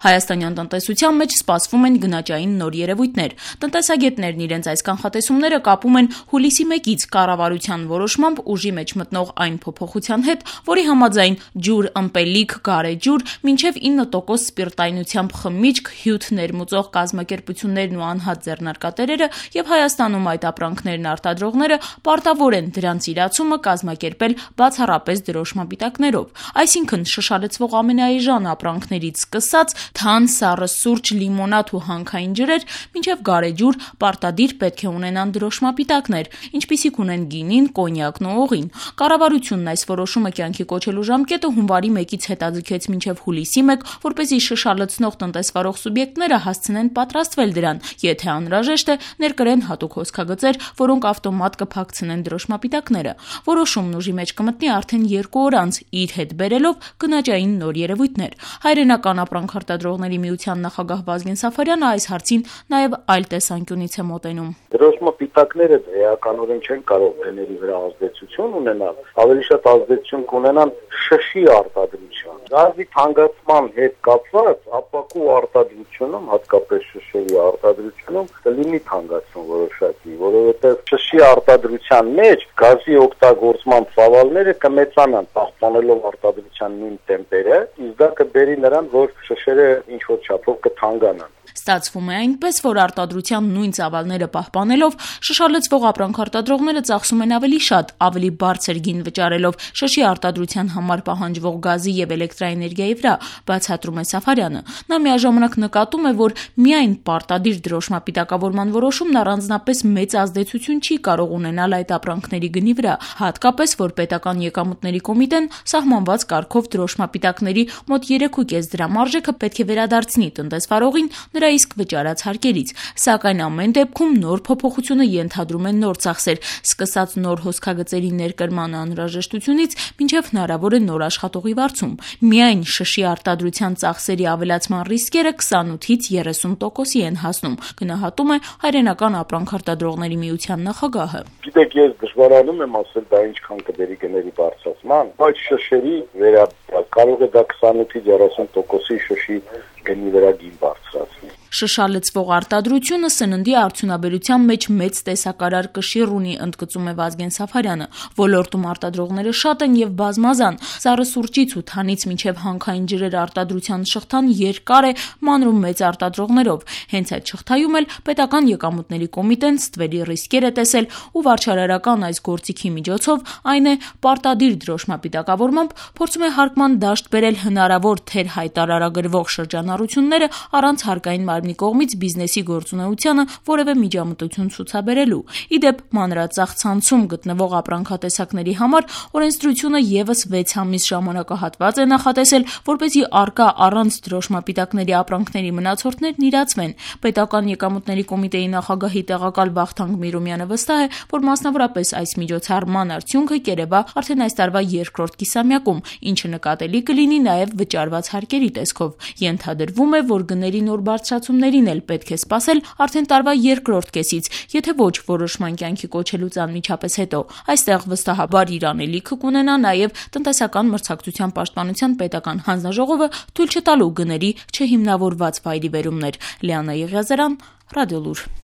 Հայաստանյան տնտեսության մեջ սպասվում են գնաճային նոր երևույթներ։ Տնտեսագետներն իրենց այս կանխատեսումները կապում են հուլիսի 1-ից կառավարության որոշմամբ ուժի մեջ մտնող այն փոփոխության հետ, որի համաձայն ջուր, ըմպելիք, գարեջուր, մինչև 9% սպիրտայնությամբ խմիչք, հյութ ներմուծող կազմակերպություններն ու անհատ ձեռնարկատերերը եւ Հայաստանում այդ ապրանքներն արտադրողները պարտավոր են դրանց իրացումը կազմակերպել բացառապես դրոշմապիտակներով։ Այսինքն շշալցվող ամենաէժան ապրանքներից սկսած թան, սառը սուրճ, լիմոնադ ու հանքային ջրեր, մինչև գարեջուր պարտադիր պետք է ունենան դրոշմապիտակներ, ինչպիսիք ունեն գինին, կոնյակն ու օղին։ Կառավարությունն այս որոշումը կյանքի կոչելու ժամկետը հունվարի 1-ից հետաձգեց մինչև հուլիսի 1, որպեսզի շշալցնող տնտեսվարող սուբյեկտները հասցնեն պատրաստվել դրան, եթե անհրաժեշտ է, ներկրեն հատուկ հոսքագծեր, որոնք ավտոմատ կփակցնեն դրոշմապիտակները։ Որոշումն ուժի մեջ կմտնի արդեն 2 օր անց, իր հետ բերելով գնաճային նոր երևույթներ։ Հայրենական ապրանք արտադրողների միության նախագահ Վազգեն Սաֆարյանը այս հարցին նաև այլ տեսանկյունից է մոտենում։ Դրոշմապիտակները էականորեն չեն կարող գների վրա ազդեցություն ունենալ, ավելի շատ ազդեցություն կունենան շշի արտադրության։ Գազի թանկացման հետ կապված ապակու արտադրությունում, հատկապես շշերի արտադրությունում կլինի թանկացում որոշակի, որովհետև շշի արտադրության մեջ գազի օգտագործման ծավալները կմեծանան, պահպանելով արտադրության նույն տեմպերը, իսկ դա կբերի նրան, որ շշերը ինչ-որ չափով կթանկանան։ Ստացվում է այնպես, որ արտադրության նույն ծավալները պահպանելով շշալցվող ապրանք արտադրողները ծախսում են ավելի շատ, ավելի բարձր գին վճարելով շշի արտադրության համար պահանջվող գազի եւ էլեկտրաէներգիայի վրա, բացատրում է Սաֆարյանը։ Նա միաժամանակ նկատում է, որ միայն պարտադիր դրոշմապիտակավորման որոշումն առանձնապես մեծ ազդեցություն չի կարող ունենալ այդ ապրանքների գնի վրա, հատկապես որ պետական եկամուտների կոմիտեն սահմանված կարգով դրոշմապիտակների մոտ 3.5 դրամ արժեքը պետք է վերադարձնի տնտեսվարողին նրա իսկ վճարած հարկերից, սակայն ամեն դեպքում նոր փոփոխությունը ենթադրում է նոր ծախսեր, սկսած նոր հոսքագծերի ներկրման անհրաժեշտությունից մինչև հնարավոր է նոր աշխատողի վարձում։ Միայն շշի արտադրության ծախսերի ավելացման ռիսկերը 28-ից 30%-ի են հասնում, գնահատում է Հայրենական ապրանք արտադրողների միության նախագահը։ Գիտեք, ես դժվարանում եմ ասել դա ինչքան կբերի գների բարձրացման, բայց շշերի վերաբերյալ կարող է դա 28-ից 30%-ի շշի գնի վրա գին բարձրացնի։ Շշալցվող արտադրությունը սննդի արդյունաբերության մեջ մեծ տեսակարար կշիռ ունի, ընդգծում է Վազգեն Սաֆարյանը։ Ոլորտում արտադրողները շատ են եւ բազմազան։ Սառը սուրճից ու թանից մինչև հանքային ջրեր արտադրության շղթան երկար է, մանրում մեծ արտադրողներով։ Հենց այդ շղթայում էլ պետական եկամուտների կոմիտեն ստվերի ռիսկեր է տեսել ու վարչարարական այս գործիքի միջոցով, այն է պարտադիր դրոշմապիտակավորմամբ փորձում է հարկման դաշտ բերել հնարավոր թեր հայտարարագրվող շրջանառությունները առանց հարկային մարմնի կողմից բիզնեսի գործունեությանը որևէ միջամտություն ցուցաբերելու։ Ի դեպ, մանրածախ ցանցում գտնվող ապրանքատեսակների համար օրենսդրությունը եւս 6 ամիս ժամանակահատված է նախատեսել, որպեսզի առկա առանց դրոշմապիտակների ապրանքների մնացորդներն իրացվեն։ Պետական եկամուտների կոմիտեի նախագահի տեղակալ Վախթանգ Միրումյանը վստահ է, որ մասնավորապես այս միջոցառման արդյունքը կերևա արդեն այս տարվա 2-րդ կիսամյակում, ինչը նկատելի կլինի նաեւ վճարված հարկերի տեսքով։ Ենթադրվում է, որ գների նոր բարձրացումներին էլ պետք է սպասել արդեն տարվա 2-րդ կեսից, եթե ոչ որոշման կյանքի կոչելուց անմիջապես հետո։ Այստեղ վստահաբար իր անելիքը կունենա նաև տնտեսական մրցակցության պաշտպանության պետական հանձնաժողովը թույլ չտալու գների չհիմնավորված վայրիվերումներ։ Լիանա Եղիազարյան, Ռադիոլուր։